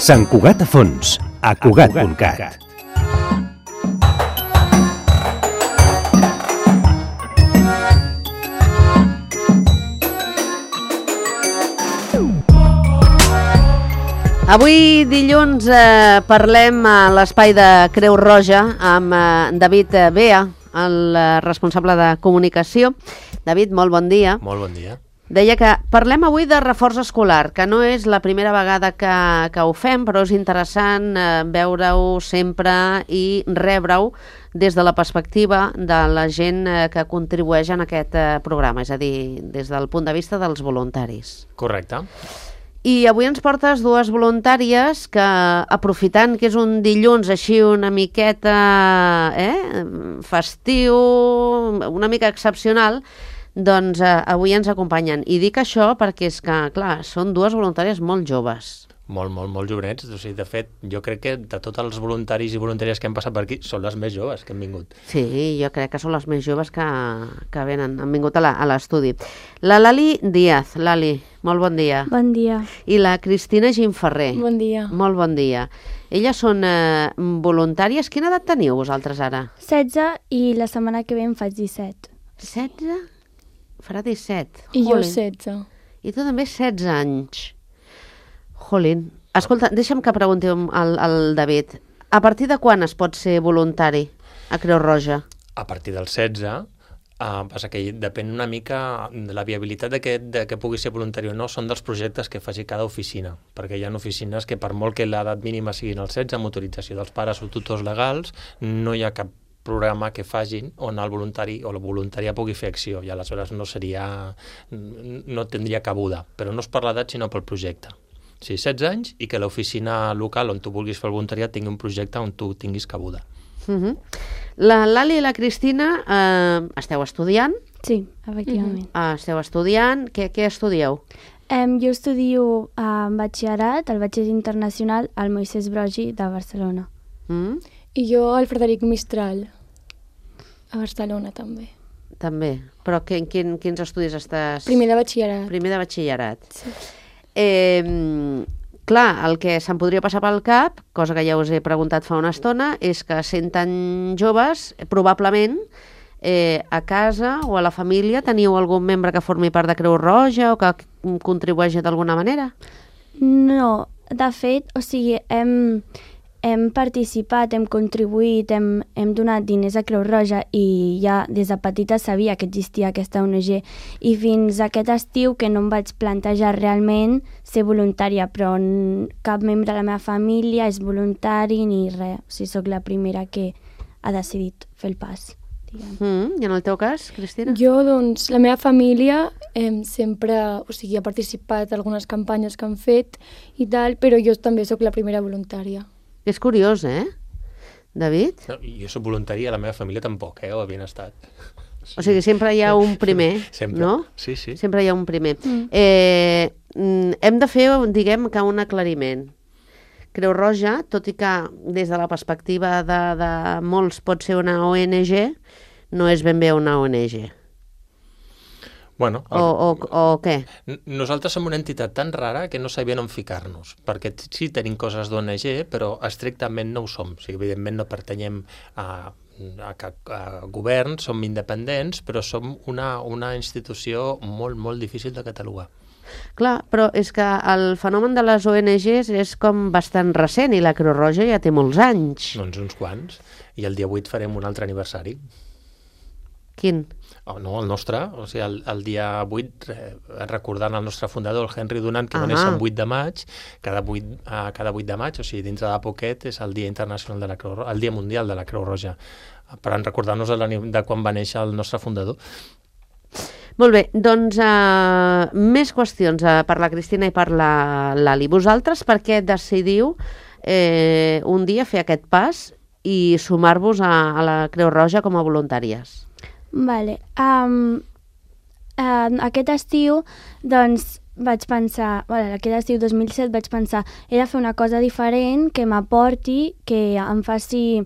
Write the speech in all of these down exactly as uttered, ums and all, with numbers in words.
Sant Cugat a fons, a Cugat punt cat. Avui dilluns eh, parlem a l'espai de Creu Roja amb eh, David Bea, el eh, responsable de comunicació. David, molt bon dia. Molt bon dia. Deia que parlem avui de reforç escolar, que no és la primera vegada que, que ho fem, però és interessant eh, veure-ho sempre i rebre-ho des de la perspectiva de la gent eh, que contribueix en aquest eh, programa, és a dir, des del punt de vista dels voluntaris. Correcte. I avui ens portes dues voluntàries que, aprofitant que és un dilluns així una miqueta eh, festiu, una mica excepcional, doncs eh, avui ens acompanyen. I dic això perquè és que, clar, són dues voluntàries molt joves. Molt, molt, molt jovenets. O sigui, de fet, jo crec que de tots els voluntaris i voluntàries que han passat per aquí, són les més joves que han vingut. Sí, jo crec que són les més joves que, que venen, han vingut a l'estudi. La Lali Díaz. Lali, molt bon dia. Bon dia. I la Cristina Gimferrer. Bon dia. Molt bon dia. Elles són eh, voluntàries. Quina edat teniu vosaltres ara? setze i la setmana que ve em faig disset. setze? Farà disset. I Jolín. jo setze. I tu també setze anys. Jolín. Escolta, deixa'm que pregunti al, al David. A partir de quan es pot ser voluntari a Creu Roja? A partir dels setze, eh, passa que depèn una mica de la viabilitat de que, de que pugui ser voluntari o no, són dels projectes que faci cada oficina, perquè hi ha oficines que per molt que l'edat mínima siguin els setze, amb autorització dels pares o tutors legals, no hi ha cap programa que facin on el voluntari o la voluntària pugui fer acció i aleshores no seria, no tindria cabuda, però no és per l'edat sinó pel projecte. Sí, setze anys i que l'oficina local on tu vulguis fer el voluntariat tingui un projecte on tu tinguis cabuda. Uh-huh. La Lali i la Cristina eh, esteu estudiant? Sí, efectivament. Uh-huh. Esteu estudiant. Què, què estudieu? Um, jo estudio uh, batxillerat, el batxiller internacional al Moisès Broggi de Barcelona. Mm? I jo al Frederic Mistral, a Barcelona també. També. Però que, quin, quins estudis estàs? Primer de batxillerat. Primer de batxillerat. Sí. Eh, clar, el que se'm podria passar pel cap, cosa que ja us he preguntat fa una estona, és que sent tan joves, probablement eh, a casa o a la família teniu algun membre que formi part de Creu Roja o que contribueixi d'alguna manera? No, de fet, o sigui, hem, hem participat, hem contribuït, hem, hem donat diners a Creu Roja i ja des de petita sabia que existia aquesta O N G i fins aquest estiu que no em vaig plantejar realment ser voluntària, però cap membre de la meva família és voluntari ni res, o sigui, soc la primera que ha decidit fer el pas. Mm, I en el teu cas, Cristina? Jo, doncs, la meva família eh, sempre, o sigui, ha participat en algunes campanyes que han fet i tal, però jo també sóc la primera voluntària. És curiós, eh, David? No, jo soc voluntari, a la meva família tampoc, eh, ho havien estat. Sí. O sigui, sempre hi ha un primer, sempre. No? Sí, sí. Sempre hi ha un primer. Mm. Eh, hem de fer, diguem, que un aclariment. Creu Roja, tot i que des de la perspectiva de, de molts pot ser una O N G, no és ben bé una O N G. Bueno, el... o, o, o què? Nosaltres som una entitat tan rara que no sabíem on ficar-nos, perquè sí tenim coses d'O N G, però estrictament no ho som. O sigui, evidentment no pertanyem a, a, a govern, som independents, però som una, una institució molt, molt difícil de catalogar. Clar, però és que el fenomen de les O N Ges és com bastant recent i la Creu Roja ja té molts anys. Doncs uns quants, i el dia vuit farem un altre aniversari. Quin? Oh, no, el nostre, o sigui, el, el dia vuit, eh, recordant el nostre fundador, el Henry Dunant, que ah. va néixer el vuit de maig, cada vuit, eh, cada vuit de maig, o sigui, dintre de poquet, és el Dia Internacional de la Creu Roja, el Dia Mundial de la Creu Roja, per recordar-nos de, de quan va néixer el nostre fundador. Molt bé, doncs uh, més qüestions uh, per la Cristina i per la Lali. Vosaltres per què decidiu eh, un dia fer aquest pas i sumar-vos a, a la Creu Roja com a voluntàries? Vale. Um, uh, aquest estiu, doncs, vaig pensar, bueno, aquest estiu dos mil set vaig pensar, he de fer una cosa diferent que m'aporti, que em faci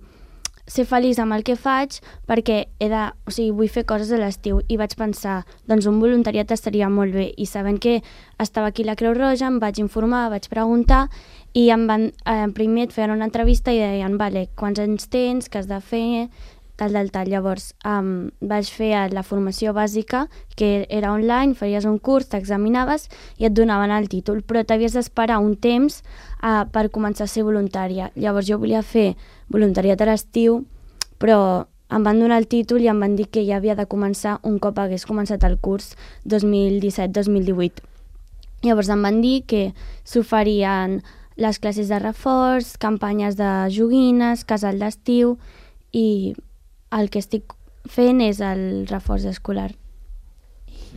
ser feliç amb el que faig, perquè he de, o sigui, vull fer coses a l'estiu i vaig pensar, doncs un voluntariat estaria molt bé, i sabent que estava aquí la Creu Roja em vaig informar, vaig preguntar i em van, eh, primer et feien una entrevista i deien, vale, quants anys tens, què has de fer, tal, tal, tal. Llavors um, vaig fer la formació bàsica, que era online, faries un curs, t'examinaves i et donaven el títol, però t'havies d'esperar un temps uh, per començar a ser voluntària. Llavors jo volia fer voluntariat a l'estiu, però em van donar el títol i em van dir que ja havia de començar un cop hagués començat el curs dos mil disset dos mil divuit. Llavors em van dir que s'oferien les classes de reforç, campanyes de joguines, casal d'estiu, i el que estic fent és el reforç escolar.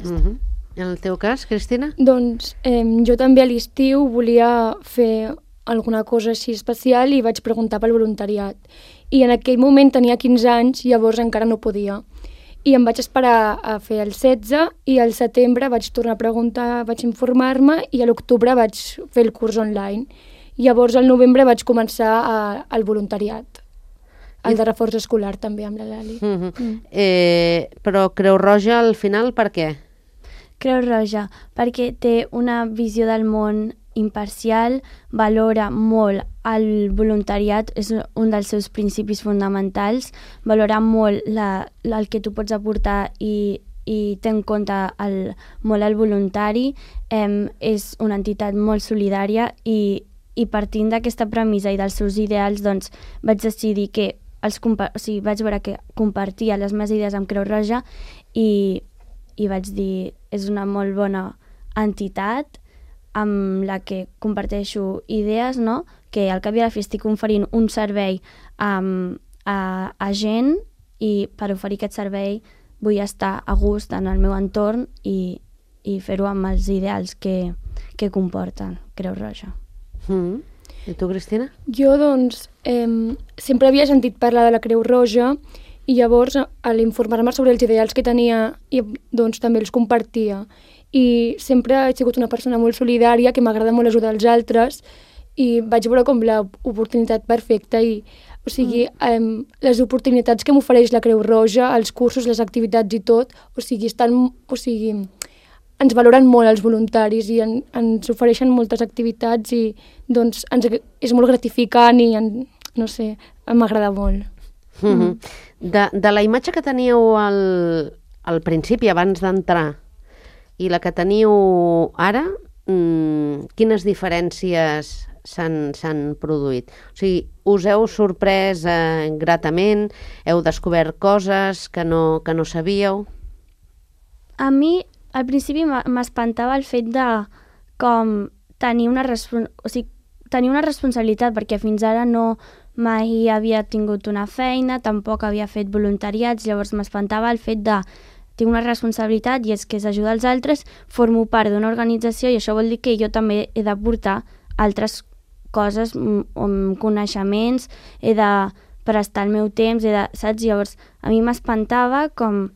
Mm-hmm. En el teu cas, Cristina? Doncs eh, jo també a l'estiu volia fer alguna cosa així especial i vaig preguntar pel voluntariat. I en aquell moment tenia quinze anys, llavors encara no podia. I em vaig esperar a fer el setze i al setembre vaig tornar a preguntar, vaig informar-me i a l'octubre vaig fer el curs online. Llavors al novembre vaig començar a, al voluntariat, el de reforç escolar també amb la Lali. Mm-hmm. mm. eh, però Creu Roja al final per què? Creu Roja, perquè té una visió del món imparcial, valora molt el voluntariat, és un dels seus principis fonamentals, valora molt la, la, el que tu pots aportar i, i té en compte el, molt el voluntari, eh, és una entitat molt solidària i, i partint d'aquesta premissa i dels seus ideals doncs, vaig decidir que els compa- o sigui, vaig veure que compartia les meves idees amb Creu Roja i, i vaig dir és una molt bona entitat amb la que comparteixo idees, no? Que al cap i a la fi estic oferint un servei um, a, a gent i per oferir aquest servei vull estar a gust en el meu entorn i, i fer-ho amb els ideals que, que comporten Creu Roja. Mm. I tu, Cristina? Jo, doncs, eh, sempre havia sentit parlar de la Creu Roja i llavors, a l'informar-me sobre els ideals que tenia, i, doncs també els compartia. I sempre he sigut una persona molt solidària, que m'agrada molt ajudar els altres, i vaig veure com l'oportunitat perfecta. I, o sigui, mm. eh, les oportunitats que m'ofereix la Creu Roja, els cursos, les activitats i tot, o sigui, estan, o sigui, ens valoren molt els voluntaris i en, ens ofereixen moltes activitats i doncs ens, és molt gratificant i en, no sé, m'agrada molt. Mm-hmm. De, de la imatge que teníeu al, al principi, abans d'entrar, i la que teniu ara, mmm, quines diferències s'han, s'han produït? O sigui, us heu sorprès eh, gratament? Heu descobert coses que no, que no sabíeu? A mi, al principi m'espantava el fet de com tenir una, respon- o sigui, tenir una responsabilitat, perquè fins ara no mai havia tingut una feina, tampoc havia fet voluntariats, llavors m'espantava el fet de tinc una responsabilitat i és que és ajudar els altres, formo part d'una organització i això vol dir que jo també he d'aportar altres coses, m- coneixements, he de prestar el meu temps, he de, saps? Llavors a mi m'espantava com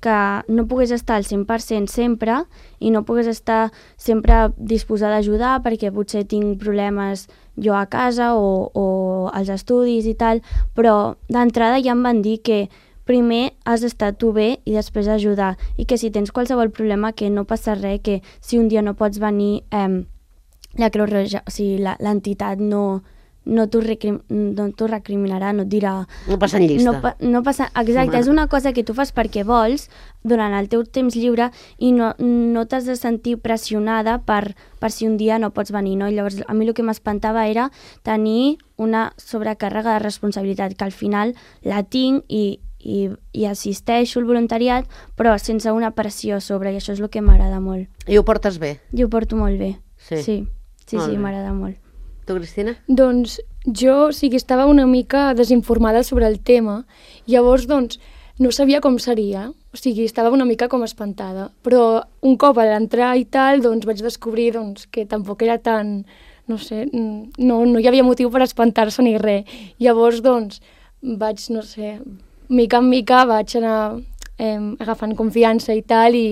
que no pogués estar al cent per cent sempre i no pogués estar sempre disposada a ajudar perquè potser tinc problemes jo a casa o, o als estudis i tal, però d'entrada ja em van dir que primer has d'estar tu bé i després ajudar i que si tens qualsevol problema que no passa res, que si un dia no pots venir eh, la Creu Roja, o sigui, la, l'entitat no, no t'ho recrim, no t'ho recriminarà, no et dirà... No passa en llista. No, pa, no passa, exacte, és una cosa que tu fas perquè vols durant el teu temps lliure i no, no t'has de sentir pressionada per, per si un dia no pots venir, no? I llavors a mi el que m'espantava era tenir una sobrecàrrega de responsabilitat, que al final la tinc i, i, i assisteixo al voluntariat, però sense una pressió sobre, i això és el que m'agrada molt. I ho portes bé? I ho porto molt bé, sí, sí, sí, molt sí bé. m'agrada molt. Tu, Cristina? Doncs jo, o sigui, estava una mica desinformada sobre el tema, llavors, doncs, no sabia com seria, o sigui, estava una mica com espantada, però un cop a l'entrar i tal, doncs vaig descobrir doncs, que tampoc era tan, no sé, no, no hi havia motiu per espantar-se ni res. Llavors, doncs, vaig, no sé, mica en mica vaig anar eh, agafant confiança i tal, i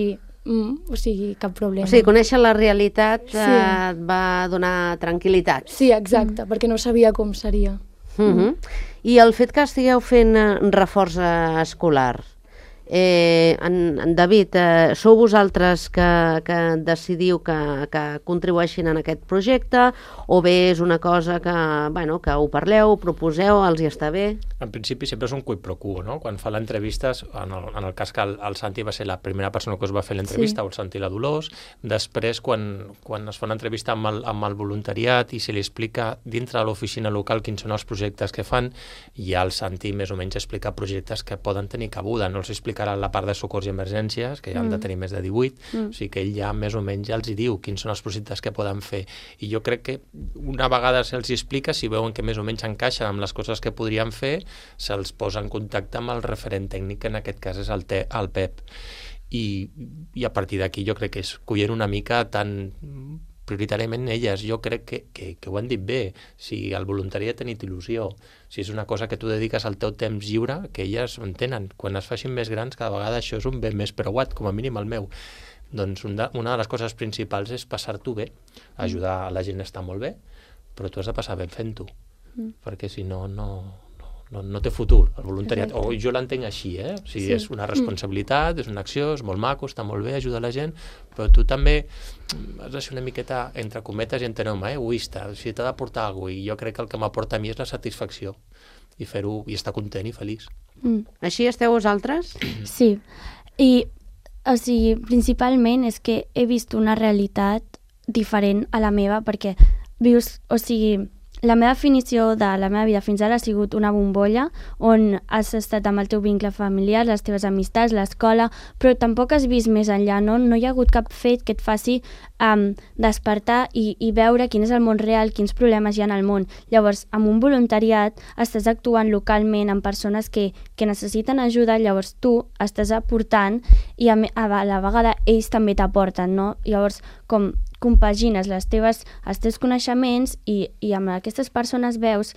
Mm, o sigui, cap problema. O sigui, conèixer la realitat Sí. eh, et va donar tranquil·litat. Sí, exacte, mm. perquè no sabia com seria. Mm-hmm. I el fet que estigueu fent eh, reforç eh, escolar Eh, en, en David, eh, sou vosaltres que, que decidiu que, que contribueixin en aquest projecte o bé és una cosa que, bueno, que ho parleu, proposeu, els hi està bé? En principi sempre és un quid pro quo, no? Quan fa l'entrevistes, en, el, en el cas que el, el Santi va ser la primera persona que us va fer l'entrevista, sí. o el Santi i la Dolors, després quan, quan es fa una entrevista amb el, amb el voluntariat i se li explica dintre de l'oficina local quins són els projectes que fan, ja el Santi més o menys explica projectes que poden tenir cabuda, no els explicarà la part de socors i emergències, que ja han de tenir més de divuit, mm. o sigui que ell ja més o menys ja els hi diu quins són els projectes que poden fer. I jo crec que una vegada se'ls explica, si veuen que més o menys encaixen amb les coses que podrien fer, se'ls posa en contacte amb el referent tècnic, que en aquest cas és el, te, el Pep. I, I a partir d'aquí jo crec que és collent una mica tan prioritàriament elles. Jo crec que, que, que ho han dit bé. Si el voluntari ha tenit il·lusió, si és una cosa que tu dediques al teu temps lliure, que elles ho entenen. Quan es facin més grans, cada vegada això és un bé més preuat, com a mínim el meu. Doncs un de, una de les coses principals és passar-t'ho bé. Ajudar a la gent està molt bé, però tu has de passar bé fent-ho, mm. perquè si no, no... No, no té futur, el voluntariat. O jo l'entenc així, eh? O sigui, sí. És una responsabilitat, és una acció, és molt maco, està molt bé, ajuda la gent, però tu també has de ser una miqueta, entre cometes i enteneu-me, eh? egoista. O sigui, t'ha d'aportar alguna cosa, i jo crec que el que m'aporta a mi és la satisfacció, i fer-ho, i estar content i feliç. Mm. Així esteu vosaltres? Sí, i o sigui, principalment és que he vist una realitat diferent a la meva, perquè vius, o sigui, la meva definició de la meva vida fins ara ha sigut una bombolla on has estat amb el teu vincle familiar, les teves amistats, l'escola, però tampoc has vist més enllà, no? No hi ha hagut cap fet que et faci um, despertar i, i veure quin és el món real, quins problemes hi ha al món. Llavors, amb un voluntariat estàs actuant localment amb persones que, que necessiten ajuda, llavors tu estàs aportant i a, a la vegada ells també t'aporten, no? Llavors, com compagines les teves, els teus coneixements i, i amb aquestes persones veus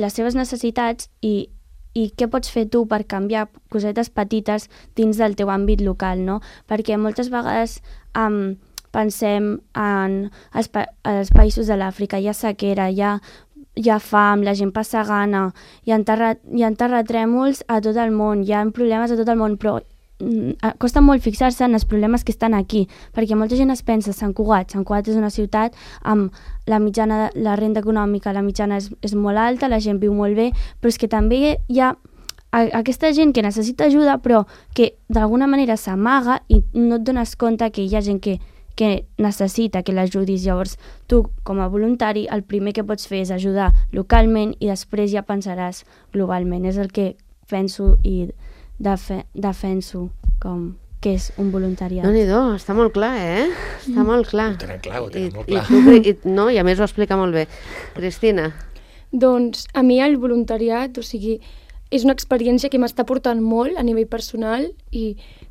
les seves necessitats i, i què pots fer tu per canviar cosetes petites dins del teu àmbit local, no? Perquè moltes vegades um, pensem en els, pa els països de l'Àfrica, hi ha sequera, hi ha, hi ha fam, la gent passa gana, hi ha, terra hi ha terratrèmols a tot el món, hi ha problemes a tot el món, però costa molt fixar-se en els problemes que estan aquí, perquè molta gent es pensa Sant Cugat, Sant Cugat és una ciutat amb la mitjana, la renda econòmica, la mitjana és, és molt alta, la gent viu molt bé, però és que també hi ha aquesta gent que necessita ajuda però que d'alguna manera s'amaga i no et dones compte que hi ha gent que, que necessita que l'ajudis. Llavors tu com a voluntari el primer que pots fer és ajudar localment i després ja pensaràs globalment. És el que penso i Defe defenso com que és un voluntariat. Déu-n'hi-do, està molt clar, eh? Està mm. molt clar. Ho tenen clar, ho tenen I, molt clar. I tu, i, no, i a més ho explica molt bé. Cristina? Doncs a mi el voluntariat, o sigui, és una experiència que m'està portant molt a nivell personal i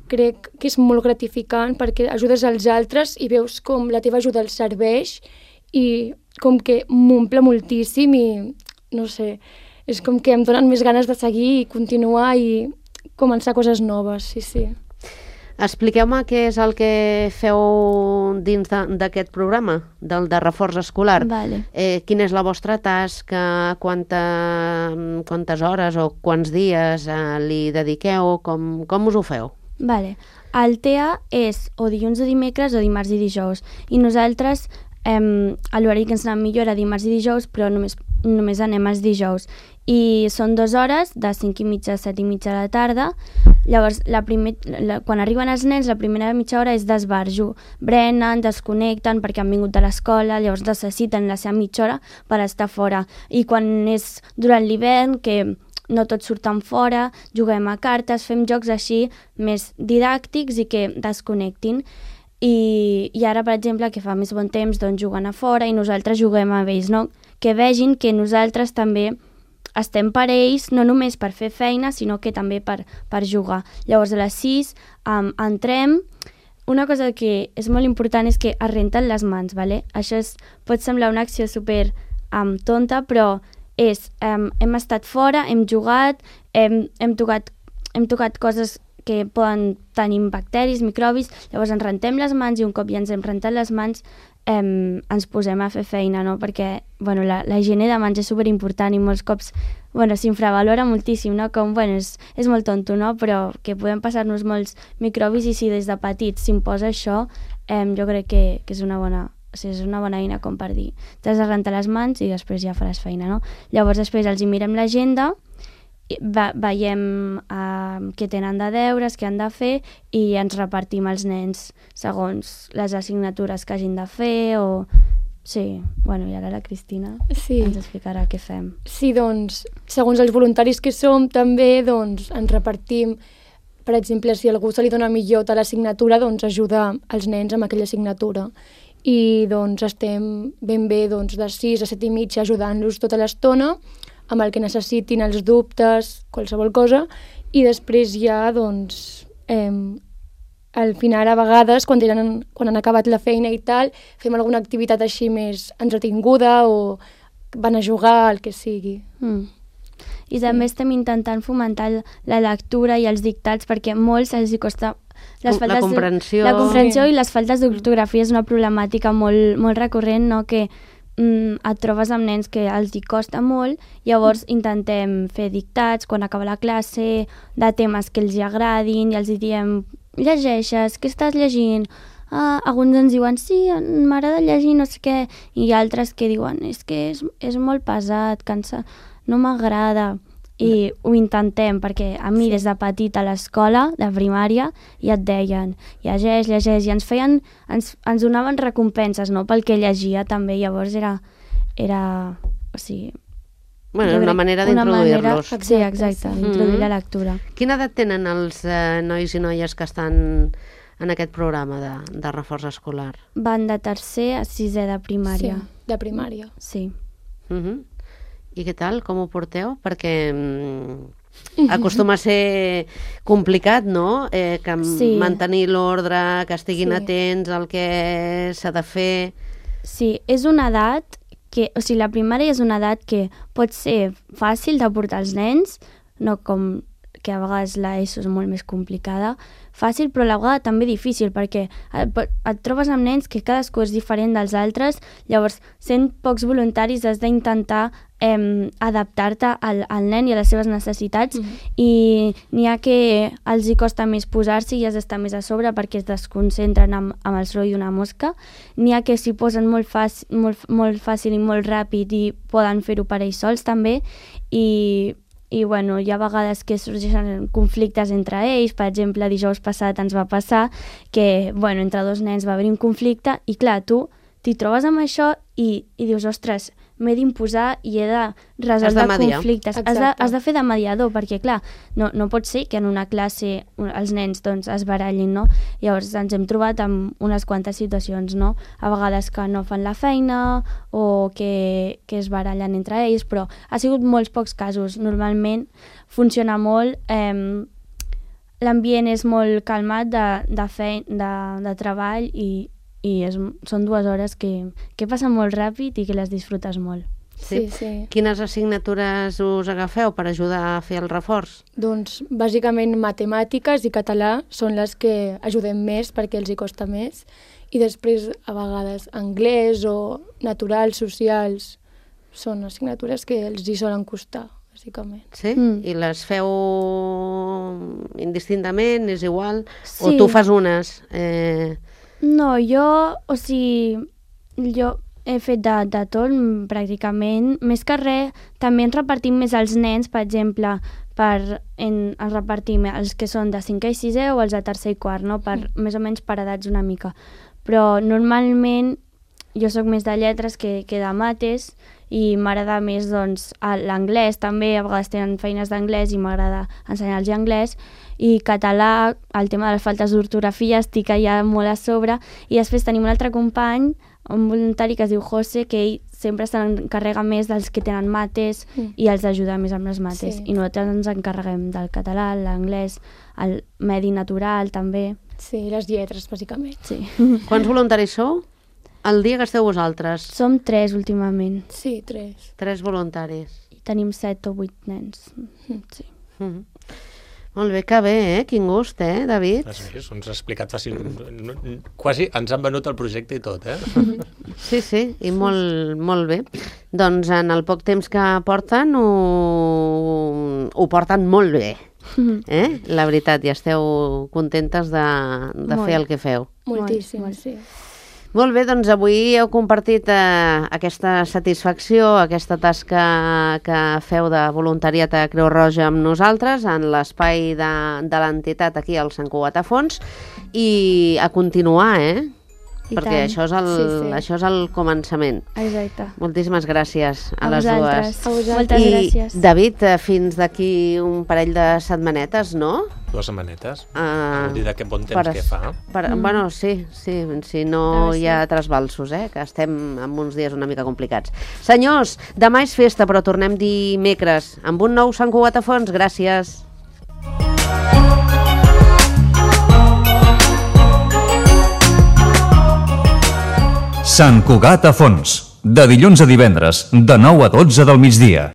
crec que és molt gratificant perquè ajudes als altres i veus com la teva ajuda els serveix i com que m'omple moltíssim i, no sé, és com que em donen més ganes de seguir i continuar i començar coses noves, sí, sí. Expliqueu-me què és el que feu dins d'aquest programa, del de reforç escolar. Vale. Eh, quina és la vostra tasca, quanta, quantes hores o quants dies eh, li dediqueu, com, com us ho feu? Vale. El T E A és o dilluns o dimecres o dimarts i dijous, i nosaltres eh, l'horari que ens anem millor era dimarts i dijous, però només, només anem els dijous. I són dues hores, de cinc i mitja a set i mitja de la tarda. Llavors, la primer, la, quan arriben els nens, la primera mitja hora és d'esbarjo. Brenen, desconnecten perquè han vingut de l'escola, llavors necessiten la seva mitja hora per estar fora. I quan és durant l'hivern, que no tots surten fora, juguem a cartes, fem jocs així més didàctics i que desconnectin. I, i ara, per exemple, que fa més bon temps, doncs juguen a fora i nosaltres juguem amb ells, no? Que vegin que nosaltres també estem per ells, no només per fer feina, sinó que també per, per jugar. Llavors, a les sis um, entrem. Una cosa que és molt important és que es renten les mans, ¿vale? Això és, pot semblar una acció super um, tonta, però és, um, hem estat fora, hem jugat, hem, hem, tocat, hem tocat coses que poden tenir bacteris, microbis, llavors ens rentem les mans i un cop ja ens hem rentat les mans em, ens posem a fer feina, no? Perquè bueno, la, la higiene de mans és superimportant i molts cops bueno, s'infravalora moltíssim, no? Com, bueno, és, és molt tonto, no? Però que podem passar-nos molts microbis i si des de petits s'imposa això, em, jo crec que, que és una bona... O sigui, és una bona eina com per dir t'has de rentar les mans i després ja faràs feina, no? Llavors després els hi mirem l'agenda, ve veiem uh, què tenen de deures, què han de fer i ens repartim els nens segons les assignatures que hagin de fer o... Sí, bueno, i ara la Cristina Sí. ens explicarà què fem. Sí, doncs, segons els voluntaris que som, també doncs, ens repartim. Per exemple, si a algú se li dona millor a l'assignatura, doncs ajuda els nens amb aquella assignatura. I doncs estem ben bé doncs, de sis a set i mitja ajudant-los tota l'estona amb el que necessitin, els dubtes, qualsevol cosa, i després ja, doncs, eh, al final, a vegades, quan, tenen, quan han acabat la feina i tal, fem alguna activitat així més entretinguda o van a jugar, el que sigui. Mm. I també estem intentant fomentar la lectura i els dictats perquè molts els hi costa... Les La comprensió. La comprensió Sí. i les faltes d'ortografia és una problemàtica molt, molt recurrent, no? Que mm, et trobes amb nens que els hi costa molt, llavors intentem fer dictats quan acaba la classe, de temes que els hi agradin, i els hi diem, llegeixes, què estàs llegint? Ah, alguns ens diuen, sí, m'agrada llegir, no sé què, i altres que diuen, és que és, és molt pesat, cansa, no m'agrada. I ho intentem, perquè a mi des de petita a l'escola, de primària, ja et deien, llegeix, llegeix, i ens feien, ens, ens donaven recompenses, no?, pel que llegia també, llavors era, era o sigui... Bueno, jo una crec- manera una manera- d'introduir-los. Sí, exacte, sí. d'introduir Mhm. la lectura. Quina edat tenen els eh, nois i noies que estan en aquest programa de, de reforç escolar? Van de tercer a sisè de primària. Sí, de primària. Sí. Uh -huh. I què tal? Com ho porteu? Perquè mm, acostuma a ser complicat, no? Eh, que Sí. mantenir l'ordre, que estiguin Sí. atents al que s'ha de fer... Sí, és una edat que, o sigui, la primària és una edat que pot ser fàcil de portar els nens, no com que a vegades l'ESO és molt més complicada, fàcil però a la vegada també difícil, perquè et, et trobes amb nens que cadascú és diferent dels altres, llavors sent pocs voluntaris has d'intentar eh, adaptar-te al, al nen i a les seves necessitats, Mhm. i n'hi ha que els hi costa més posar-s'hi i has d'estar més a sobre perquè es desconcentren amb, amb el soroll d'una mosca, n'hi ha que s'hi posen molt, fàcil, molt, molt fàcil i molt ràpid i poden fer-ho per ells sols també, i i bueno, hi ha vegades que sorgeixen conflictes entre ells. Per exemple, dijous passat ens va passar que bueno, entre dos nens va haver un conflicte i clar, tu t'hi trobes amb això i, i dius, ostres, m'he d'imposar i he de resoldre Has de mediar. conflictes. Has de, Exacte. has de fer de mediador, perquè clar, no, no pot ser que en una classe els nens doncs, es barallin, no? Llavors ens hem trobat amb unes quantes situacions, no? A vegades que no fan la feina o que, que es barallen entre ells, però ha sigut molts pocs casos. Normalment funciona molt, eh, l'ambient és molt calmat de, de, fe, de, de treball i i és, són dues hores que, que passen molt ràpid i que les disfrutes molt. Sí, sí. Quines assignatures us agafeu per ajudar a fer el reforç? Doncs bàsicament matemàtiques i català són les que ajudem més perquè els hi costa més, i després a vegades anglès o naturals, socials, són assignatures que els hi solen costar, bàsicament. Sí? Mm. I les feu indistintament, és igual? O Sí. tu fas unes? Eh... No, jo, o sigui, jo he fet de, de tot pràcticament. Més que res, també ens repartim més els nens, per exemple, per, en, ens repartim els que són de cinquè i sisè o els de tercer i quart, no? Per, més o menys per edats una mica. Però normalment jo sóc més de lletres que, que de mates, i m'agrada més doncs, l'anglès també, a vegades tenen feines d'anglès i m'agrada ensenyar-los anglès, i català, el tema de les faltes d'ortografia estic allà molt a sobre, i després tenim un altre company, un voluntari que es diu José, que ell sempre s'encarrega més dels que tenen mates Mm. i els ajuda més amb les mates, Sí. i nosaltres ens encarreguem del català, l'anglès, el medi natural també. Sí, les lletres, bàsicament. Sí. Quants voluntaris sou? El dia que esteu vosaltres? Som tres últimament, Sí, tres. Tres voluntaris. i tenim set o vuit nens. Sí. Mm -hmm. Molt bé, que bé, eh? Quin gust, eh, David? Sí, ens ha explicat fàcil. Quasi ens han venut el projecte i tot, eh? Sí, sí, i molt, molt bé. Doncs en el poc temps que porten ho, ho porten molt bé. Eh? La veritat, ja esteu contentes de, de fer el que feu. Moltíssim, Molt, molt. sí. Molt bé, doncs avui heu compartit eh, aquesta satisfacció, aquesta tasca que feu de voluntariat a Creu Roja amb nosaltres en l'espai de, de l'entitat aquí al Sant Cugat a Fons i a continuar, eh? I Perquè tant. això és, el, Sí, sí. això és el començament. Exacte. Moltíssimes gràcies a, A les vosaltres. dues. A vosaltres. Moltes I, gràcies. David, eh, fins d'aquí un parell de setmanetes, no? Dues setmanetes. Uh, Vol dir de que bon temps que fa. Per, mm. Bueno, sí, sí, si no Ah, sí. hi ha trasbalsos, eh, que estem en uns dies una mica complicats. Senyors, demà és festa, però tornem dimecres amb un nou Sant Cugat a Fons. Gràcies. Sant Cugat a Fons, de dilluns a divendres, de nou a dotze del migdia.